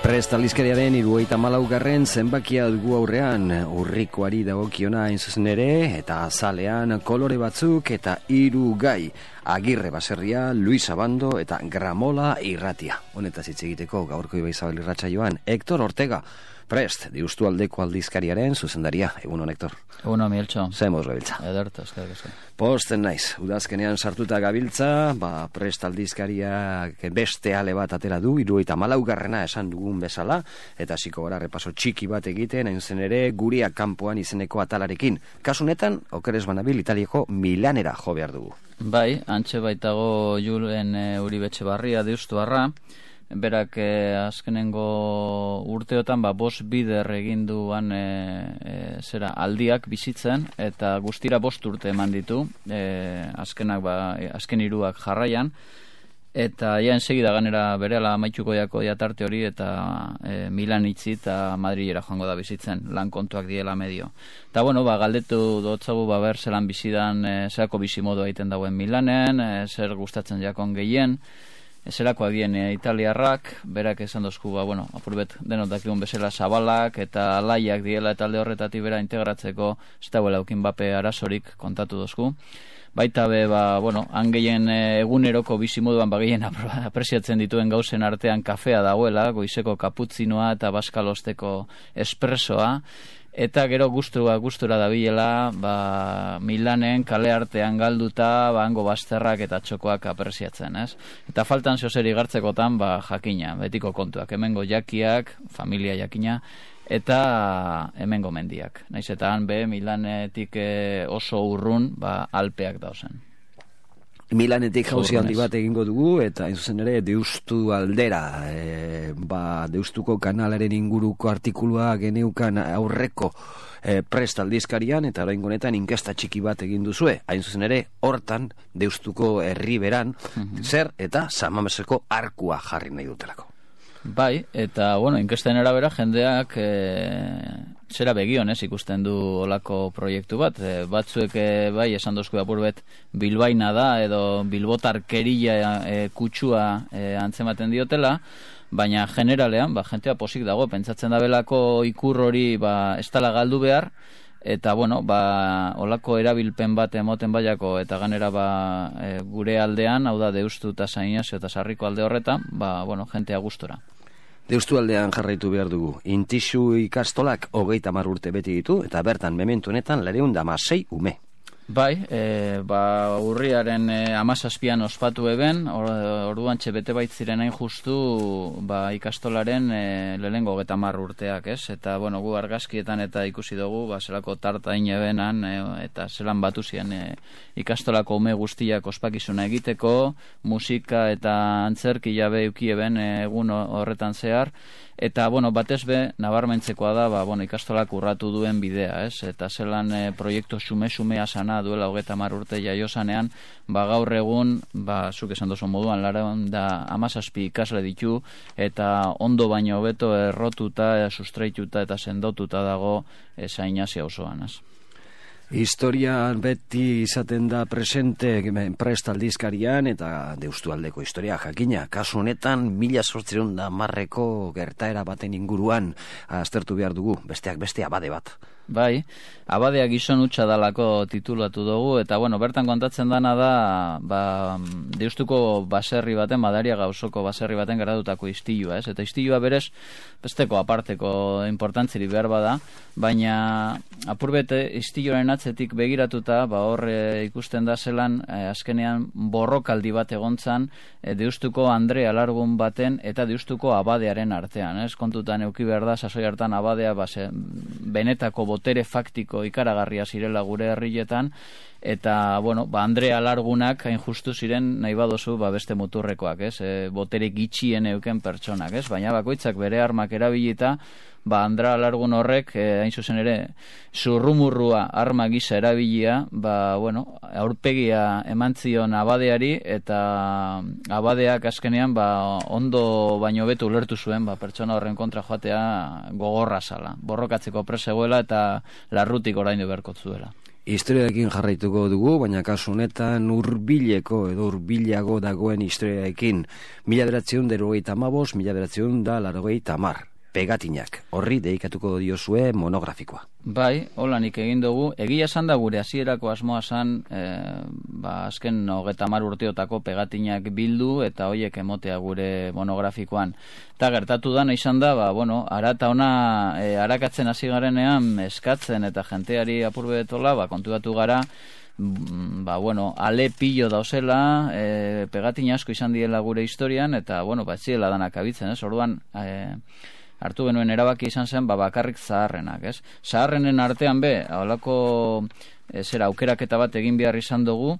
Prest aldizkariaren 74. zenbakia dugu aurrean, urrikoari dagokiona hain zuzen ere, eta azalean kolore batzuk eta 3 gai. Agirre baserria, Luis Abando eta Gramola irratia. Honetaz hitz egiteko gaurko Ibaizabal irratsaioan Hector Ortega. Prest, Deustu aldeko aldizkariaren zuzendaria. Egun hon, Hector. Egun hon, Mieltxo. Zemoz gabiltza. Ederto, eskerrik asko. Posten naiz, udazkenean sartuta gabiltza, Prest aldizkariak beste ale bat atera du, 74. esan dugun bezala, eta hasiko gara repaso txiki bat egiten, hain zen ere, Guria kanpoan izeneko atalarekin. Kasunetan, okeres banabil Italiako Milanera jo behar dugu. Bai, antxe baitago Julen Uribetxebarria Deustuarra, berak azkenengo urteotan 5 bider egin duan aldiak bizitzen, eta guztira 5 urte eman ditu, azken 3 jarraian, eta ja ensegida ganera berehala amaituko jako tarte hori, eta Milan itzi eta Madrilera joango da bizitzen, lan kontuak diela medio. Eta bueno, galdetu dotzagu ber zelan bizidan, zerako bizimodu egiten dauen Milanen, zer gustatzen jakon gehien, zerako adien italiarrak, berak esan dozku, apurbet denot dakigun bezala zabalak eta alaiak diela eta alde horretatik bera integratzeko ez dauela aukin bape arazorik kontatu dozku. Baita be, han gehien eguneroko bizimoduan gehien apresiatzen dituen gauzen artean kafea dagoela, goizeko kaputzinoa eta baskalosteko espresoa, eta gero gustura dabilela, Milanen kale artean galduta, hango bazterrak eta txokoak apresiatzen, ez? Eta faltan zeozeri gartzekotan, jakina, betiko kontuak, hemengo jakiak, familia jakina, eta hemengo mendiak. Naiz eta han Milanetik oso urrun, Alpeak dauzen. Milanetik jauzi handi bat egingo dugu, eta hain zuzen ere Deustu aldera, Deustuko kanalaren inguruko artikulua geneukan aurreko Prest aldizkarian, eta orain honetan inkesta txiki bat egin duzue, hain zuzen ere hortan Deustuko herriberan zer eta Samameseko arkua jarri nahi dutelako. Bai, eta inkesten arabera jendeak zera begionez ikusten du olako proiektu bat. Batzuek bai esan dozku apurbet bilbaina da edo bilbotarkeria kutsua antzematen diotela, baina generalean jentea posik dago, pentsatzen da belako ikur hori ez dela galdu behar, eta olako erabilpen bat emoten baiako eta ganera gure aldean, hau da Deustu eta San Inazio eta Sarriko alde horretan, jentea gustora. Deustu aldean jarraitu behar dugu. Intixu ikastolak 30 urte beti ditu, eta bertan mementu honetan 216 ume. Bai, urriaren 17an ospatu eben, orduan bete baitziren hain justu ikastolaren lehengo 30 urteak, ez? Eta, gu argazkietan eta ikusi dugu, zelako tartain ebenan, eta zelan batu ziren ikastolako ume guztiak ospakizuna egiteko, musika eta antzerki jabe eukieben egun horretan zehar, eta, batez be, nabarmentzekoa da, ikastolak urratu duen bidea, ez? Eta zelan proiektu xume-xumea sana duela 30 urte jaiosanean, gaur egun, zuk esan dozu moduan, 17 ikasle ditu, eta ondo baino hobeto errotuta, sustraituta eta sendotuta dago San Inazio auzoan, ez? Historia beti izaten da presente Prest aldizkarian eta Deustu aldeko historia jakina. Kasu honetan 1810ko gertaera baten inguruan aztertu behar dugu, besteak beste abade bat. Bai, abadea gizon hutsa dalako titulatu dugu, eta bertan kontatzen dana da Deustuko baserri baten, Madariaga auzoko baserri baten garatutako istilua, ez? Eta istilua berez besteko aparteko importantziri behar bada, baina apurbete istiloaren atzetik begiratuta, hor ikusten da zelan azkenean borrokaldi bat egontzan Deustuko Andre Alargun baten eta Deustuko abadearen artean, ez? Kontutan euki behar da, sasoi hartan abadea benetako botere faktiko ikaragarria zirela gure herrietan, eta, Andre Alargunak hain justu ziren nahi badozu beste muturrekoak, ez? Botere gitxien euken pertsonak, ez? Baina bakoitzak bere armak erabilita, Andre Alargun horrek, hain zuzen ere, zurrumurrua arma gisa erabilia, aurpegia emantzion abadeari, eta abadeak azkenean, ondo baino betu ulertu zuen, pertsona horren kontra joatea gogorra zala. Borrokatzeko presegoela eta larrutik oraindu beharko zuela. Historiaekin jarraituko dugu, baina kasu honetan hurbileko edo hurbilago dagoen historiaekin 1985, 1990, pegatinak. Horri deikatuko diozue monografikoa. Bai, hola nik egin dugu. Egia esan da gure hasierako asmoa zan, azken 30 urteotako pegatinak bildu eta hoiek emotea gure monografikoan. Eta gertatu da, izan da, ara eta ona arakatzen hasi garenean eskatzen eta jenteari apurbetola, kontuatu gara, ale pillo dauzela, pegatina asko izan diela gure historian, eta, ez ziela danak abitzen, ez? Orduan, hartu genuen erabaki izan zen, bakarrik zaharrenak, ez? Zaharrenen artean holako aukeraketa bat egin behar izan dugu,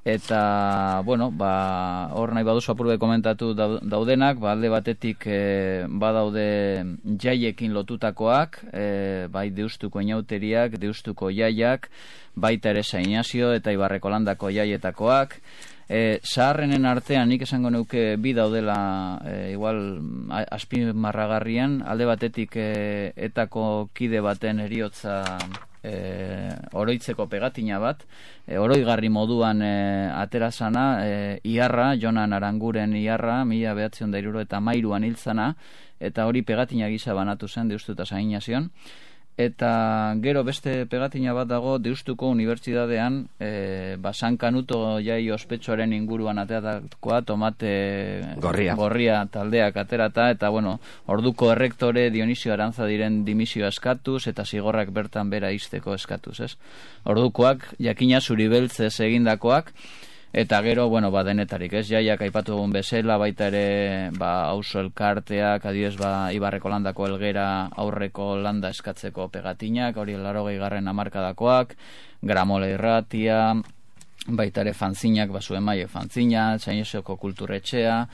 eta, hor nahi baduzu apurbe komentatu daudenak, alde batetik badaude jaiekin lotutakoak, bai Deustuko inauteriak, Deustuko jaiak, baita ere San Inazio eta Ibarreko landako jaietakoak. Zaharrenen artean nik esango neuke bi daudela igual azpimarragarrian, alde batetik etako kide baten heriotza oroitzeko pegatina bat, oroigarri moduan aterazana, Iarra, Jonan Aranguren Iarra, 1973an hil zana, eta hori pegatina gisa banatu zen Deustu eta San Inazion. Eta gero beste pegatina bat dago Deustuko Unibertsitatean, San Kanuto jai ospetsuaren inguruan ateratakoa, Tomate Gorria taldeak aterata, eta orduko errektore Dionisio Arantzadiren dimisio eskatuz, eta zigorrak bertan bera izteko eskatuz, ez? Ordukoak, jakina Zuribeltzez egindakoak, eta gero, denetarik, ez? Jaiak aipatu egun bezala, baita ere, auzo elkarteak, adibidez, Ibarreko landako Elgera aurreko landa eskatzeko pegatinak, hori 80. hamarkadakoak, Gramola irratia, baita ere fanzinak, Zuen Maile fanzina, San Inasioko kulturetxea,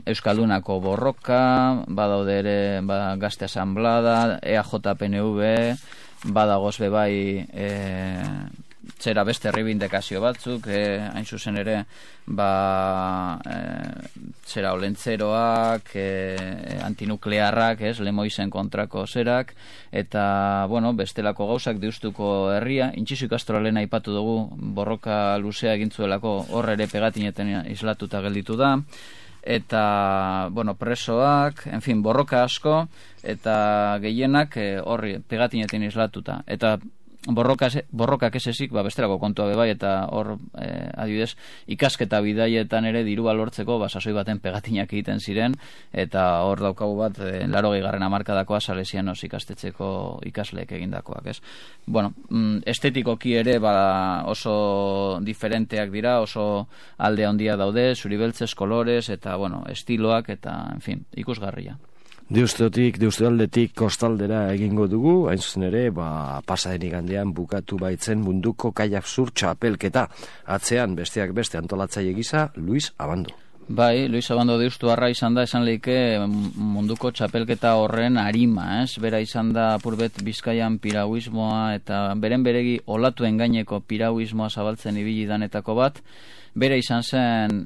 Euskaldunako borroka, badaude ere, Gazte Asamblada, EAJ-PNV, badagoz bebai, zera beste erribindekazio batzuk, hain zuzen ere, zera olentzeroak, antinuklearrak, Lemoizen kontrako zerak, eta, bestelako gauzak Deustuko herria, Intxizu ikastoralen aipatu dugu, borroka luzea egintzuelako hor ere pegatineten islatuta gelditu da, eta, presoak, borroka asko, eta gehienak horri pegatineten islatuta, eta borrokak esesik, bestelako kontua bebai, eta hor, adibidez, ikasketa bidaietan ere dirua lortzeko, sasoi baten pegatinak egiten ziren, eta hor daukagu bat, 80. hamarkadakoa Salesianos ikastetxeko ikasleek egindakoak, ez? Estetikoki ere, oso diferenteak dira, oso alde handia daude, Zuribeltzez, kolores, eta, estiloak, eta, ikusgarria. Deustualdetik kostaldera egingo dugu, hain zuzen ere, pasaden igandean bukatu baitzen munduko kaiak zur txapelketa. Atzean, besteak beste antolatzaile gisa, Luis Abando. Bai, Luis Abando Deustuarra izan da, esan leike munduko txapelketa horren arima, ez? Bera izan da apurbet Bizkaian piragüismoa eta beren beregi olatuen gaineko piragüismoa zabaltzen ibili danetako bat. Bera izan zen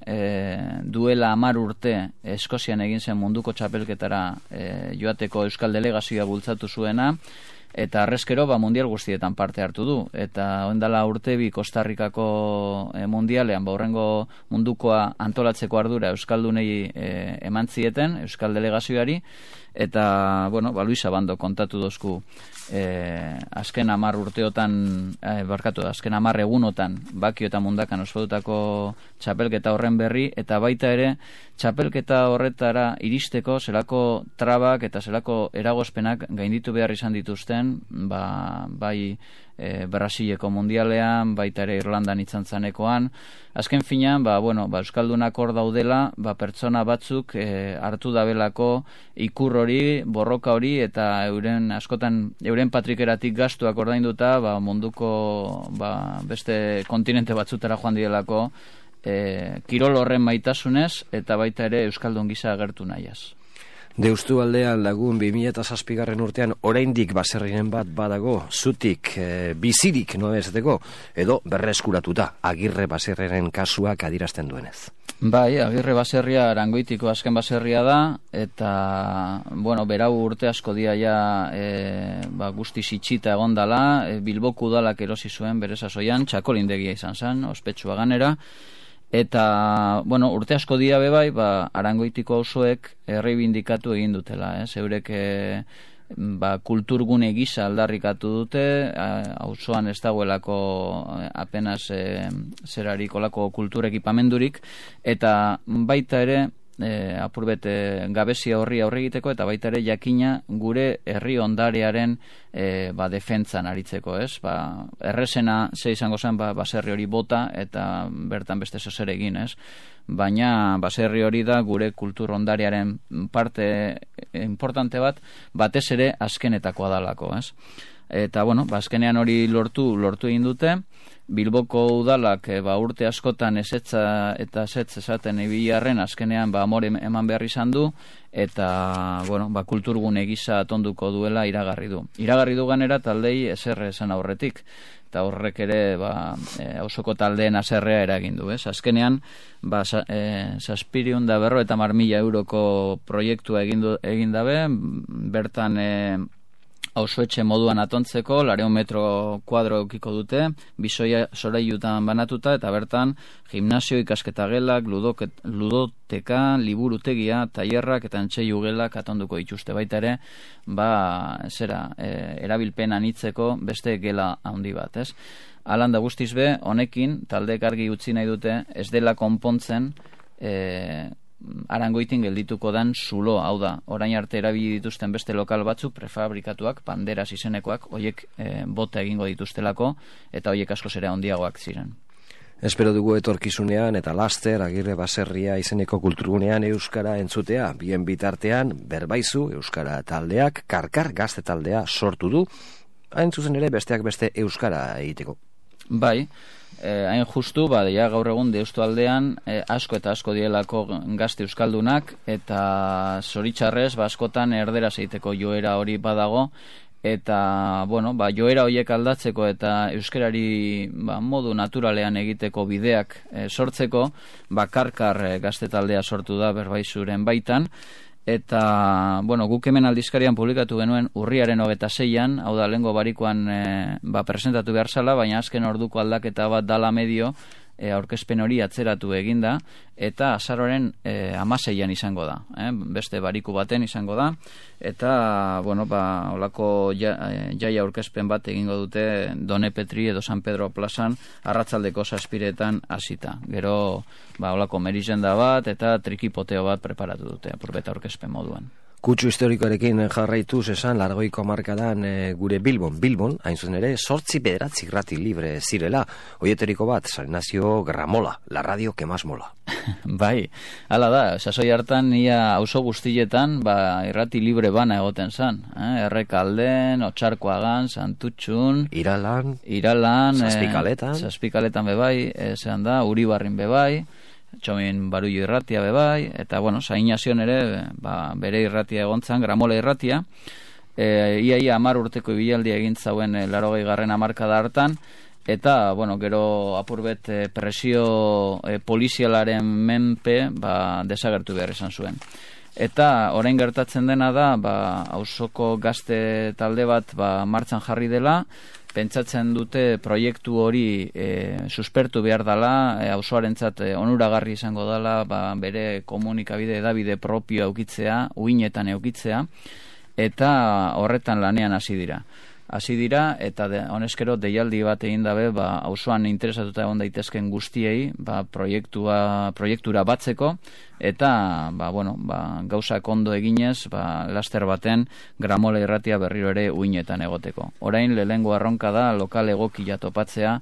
duela 10 urte Eskozian egin zen munduko txapelketara joateko Euskal Delegazioa bultzatu zuena, eta arrezkero mundial guztietan parte hartu du. Eta oendala urte bi Kostarrikako mundialean, horrengo mundukoa antolatzeko ardura Euskaldunei eman zieten, Euskal Delegazioari, eta, Luis Abando kontatu dozku azken 10 urteotan, azken 10 egunotan Bakio eta Mundakan ospatutako txapelketa horren berri, eta baita ere txapelketa horretara iristeko zelako trabak eta zelako eragozpenak gainditu behar izan dituzten, bai Brasileko mundialean, baita ere Irlandan itzantzanekoan. Azken finean, Euskaldunak hor daudela, pertsona batzuk hartu dabelako ikur hori, borroka hori, eta euren patrikeratik gastuak ordainduta, munduko beste kontinente batzutara joan dielako, kirol horren maitasunez, eta baita ere Euskaldun gisa agertu nahiaz. Deustualdean lagun 2007 urtean oraindik baserrinen bat badago, zutik bizirik noa esateko, edo berreskuratuta Agirre baserreren kasuak adierazten duenez. Bai, Agirre baserria Arangoitiko azken baserria da, eta, bueno, berau urte asko dia ja guzti sitxita egondala, Bilboko udalak erosi zuen bere sasoian, txakolindegia izan zen, ospetsua ganera, eta, bueno, urte asko dia bebai, Arangoitiko auzoek erreibindikatu egin dutela, zeurek kulturgune gisa aldarrikatu dute, auzoan ez dagoelako apenas zerarik olako kultur ekipamendurik, eta baita ere apurbet gabezia horri aurre egiteko, eta baita ere jakina gure herri ondarearen defentzan aritzeko, ez? Errezena ze izango zen baserri hori bota eta bertan beste zozer egin, ez? Baina baserri hori da gure kultur ondarearen parte importante batez ere azkenetakoa dalako, ez? Eta, bueno, azkenean hori lortu egin dute. Bilboko udalak urte askotan ezetza eta ezetz esaten ibilarren azkenean amore eman behar izan du, eta, bueno, kulturgune gisa atonduko duela iragarri du. Iragarri du ganera taldei ezer esan aurretik, eta horrek ere auzoko taldeen haserrea eragin du, ez? Azkenean 750.000 euroko proiektua egin dabe, bertan auzoetxe moduan atontzeko, 400 metro kuadro eukiko dute, bisoia sorailutan banatuta, eta bertan gimnasio, ikasketa gelak, ludoteka, liburutegia, tailerrak eta antzeiu gelak atonduko dituzte. Baita ere, erabilpen anitzeko beste gela handi bat, ez? Alanda guztiz be, honekin, taldeek argi utzi nahi dute, ez dela konpontzen Arangoitin geldituko dan zulo, hau da, orain arte erabili dituzten beste lokal batzuk, prefabrikatuak, banderas izenekoak, hoiek bota egingo dituztelako, eta hoiek askoz ere handiagoak ziren. Espero dugu etorkizunean eta laster Agirre baserria izeneko kulturgunean euskara entzutea, bien bitartean Berbaizu euskara taldeak, Karkar gazte taldea sortu du, hain zuzen ere besteak beste euskara egiteko. Bai, hain justu, gaur egun deustu aldean asko eta asko dielako gazte euskaldunak, eta zoritxarrez, askotan erderaz egiteko joera hori badago, eta, bueno, joera horiek aldatzeko eta euskarari modu naturalean egiteko bideak sortzeko, Karkar gazte taldea sortu da Berbaizuren baitan, eta, bueno, guk hemen aldizkarian publikatu genuen urriaren 26an, hau da, lehengo barikoan presentatu behar zala, baina azken orduko aldaketa bat dala medio, aurkezpen hori atzeratu eginda, eta azaroren 16an izango da, beste bariku baten izango da, eta, bueno, olako jaia aurkezpen bat egingo dute Done Petri edo San Pedro plazan arratzaldeko 7:00 hasita. Gero, olako merizenda bat eta trikipoteo bat preparatu dute, apurbeta aurkezpen moduan. Kutsu historikoarekin jarraituz esan, 80ko hamarkadan gure Bilbon, hain zuzen ere, 8-9 irrati libre zirela, hoieteriko bat, Salnazio Gramola, la radio que más mola. Bai, hala da, sasoi hartan ia auzo guztietan, irrati libre bana egoten zan, Errekalden, Otsarkoagan, Santutxun, Iralan, Zazpikaletan bebai, zean da, Uribarrin bebai, Txomin Barullo irratia bebai, eta, bueno, Sainazion ere, bere irratia egontzan, Gramola irratia, ia 10 urteko ibilaldia egin zauen 80. hamarkada hartan, eta, bueno, gero apurbet presio polizialaren menpe, desagertu behar izan zuen. Eta orain gertatzen dena da, auzoko gazte talde bat martxan jarri dela, pentsatzen dute proiektu hori suspertu behar dela, auzoarentzat onuragarri izango dela, bere komunikabide edabide propio eukitzea, uinetan eukitzea, eta horretan lanean hasi dira. Eta honezkero deialdi bat egin dabe, auzoan interesatuta egon daitezken guztiei, proiektura batzeko, eta, gauzak ondo eginez, laster baten Gramola irratia berriro ere uinetan egoteko. Orain lehengo arronka da, lokal egokia topatzea,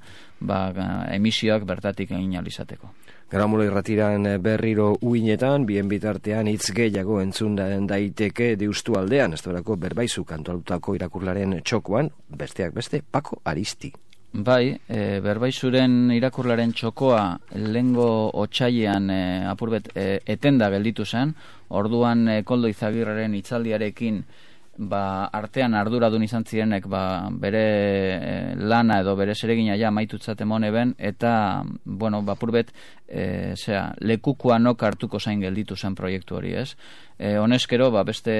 emisioak bertatik egin alizateko. Gramola irratiran berriro uinetan, bien bitartean hitz gehiago entzun daiteke deustu aldean, ez dorako Berbaizu kantualutako irakurlaren txokoan, besteak beste, Pako Aristi. Bai, Berbaizuren irakurlaren txokoa lehengo otsailean apurbet etenda gelditu zen, orduan Koldo Izagirreren hitzaldiarekin artean arduradun izan zirenek bere lana edo bere zeregina ja maitutzat emone ben, eta, bueno, purbet lekukoa nok hartuko zain gelditu zen proiektu hori, ez? Honezkero, beste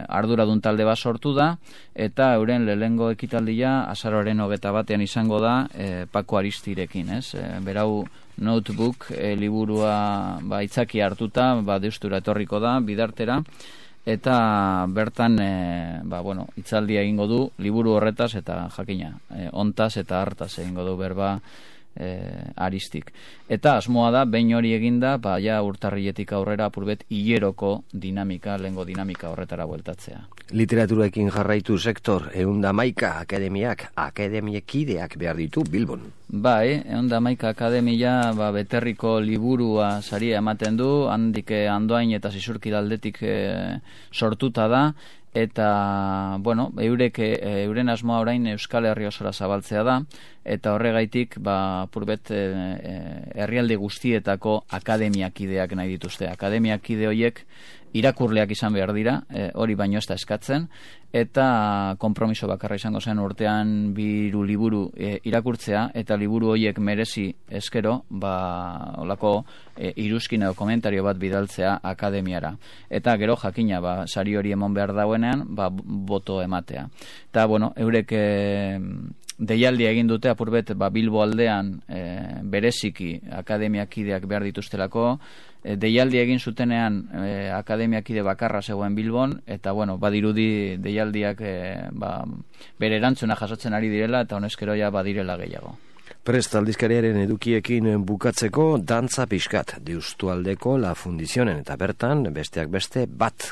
arduradun talde bat sortu da, eta euren lehengo ekitaldia azaroaren 21 izango da Paco Aristirekin, ez? Berau notebook liburua itzaki hartuta, deustura etorriko da, bidartera, eta bertan hitzaldia egingo du liburu horretaz eta jakina ontaz eta hartaz egingo du berba Aristik. Eta asmoa da, behin hori eginda, urtarriletik aurrera apurbet hileroko dinamika, lehengo dinamika horretara bueltatzea. Literaturaekin jarraitu sektor, 111 akademiekideak behar ditu Bilbon. Bai, 111 akademia beterriko liburua saria ematen du, handik Andoain eta Zizurkidaldetik sortuta da, eta, bueno, euren asmoa orain Euskal Herri osora zabaltzea da, eta horregaitik, purbet herrialde guztietako akademiakideak nahi dituzte. Akademiakide horiek irakurleak izan behar dira, hori baino ez da eskatzen, eta konpromiso bakarra izango zen urtean 2 liburu irakurtzea, eta liburu horiek merezi eskero, olako iruzkin edo komentario bat bidaltzea akademiara. Eta gero jakina, sari hori emon behar dauenean, boto ematea. Eta, bueno, eurek deialdia egin dute apurbet Bilbo aldean bereziki akademiakideak behar dituztelako, deialdia egin zutenean akademiakide bakarra zegoen Bilbon, eta bueno, badirudi deialdiak bere erantzuna jasotzen ari direla, eta honezkero ja badirela gehiago. Prest aldizkariaren edukiekin bukatzeko dantza pixkat Deustualdeko La Fundizionen, eta bertan besteak beste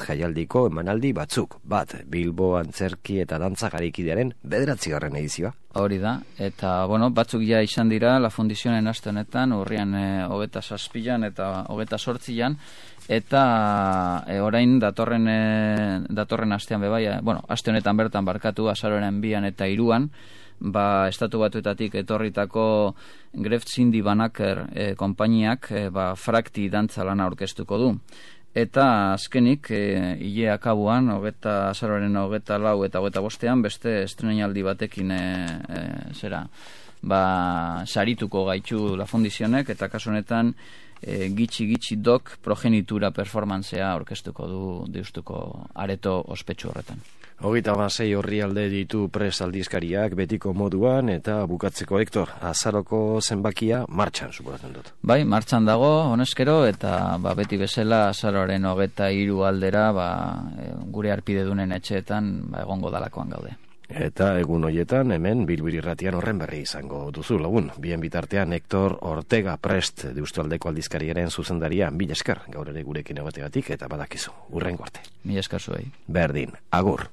jaialdiko emanaldi batzuk, Bilbo antzerki eta dantza garikidearen 9. edizioa. Hori da, eta bueno, batzuk ja izan dira La Fundizionen aste honetan, urrian 27an eta 28an, eta orain datorren astean aste honetan bertan barkatu, azaroaren 2an eta 3an, Estatu Batuetatik etorritako Gref Cindy Banaker konpainiak frakti dantza lana aurkeztuko du. Eta azkenik, ile akabuan, azaroaren 24 eta 25an, beste estrenaldi batekin sarituko gaitu La Fundizionek, eta kasu honetan gitxi dok progenitura performantzea aurkeztuko du Deustuko areto ospetsu horretan. 26 orrialde ditu prest aldizkariak betiko moduan, eta bukatzeko Hector, azaroko zenbakia martxan suposatzen dut. Bai, martxan dago, honezkero, eta beti bezala azaroaren 23 aldera gure arpidedunen etxeetan egongo dalakoan gaude. Eta egun hoietan hemen Bilbiri Irratian horren berri izango duzu lagun. Bien bitartean Hector Ortega prest Deustualdeko aldizkariaren zuzendaria, mila esker gaur ere gurekin egotegatik, eta badakizu, hurrengo arte. Mila esker zuei. Berdin, agur.